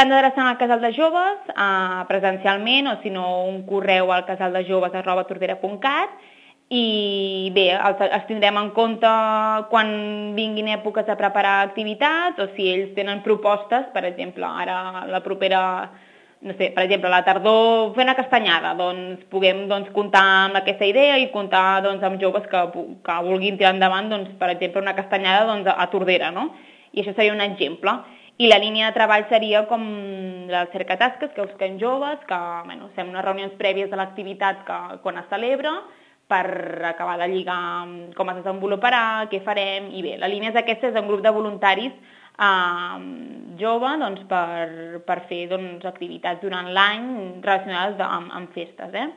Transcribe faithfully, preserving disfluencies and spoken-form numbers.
S'han d'adreçar al casal de joves eh, presencialment o si no un correu al casaldejoves arroba tordera punt cat i bé, els, els tindrem en compte quan vinguin èpoques de preparar activitats o si ells tenen propostes, per exemple, ara la propera, no sé, per exemple, la tardor fer una castanyada, doncs puguem doncs, comptar amb aquesta idea i comptar doncs, amb joves que, que vulguin tirar endavant, doncs, per exemple, una castanyada doncs, a Tordera, no? I això seria un exemple. I la línia de treball seria com la cercatasques, que busquem joves, que bueno, fem unes reunions prèvies de l'activitat que, quan es celebra, per acabar de lligar com es desenvoluparà, què farem, i bé, la línia és aquesta, és un grup de voluntaris eh, jove doncs, per, per fer doncs, activitats durant l'any relacionades amb, amb festes, eh?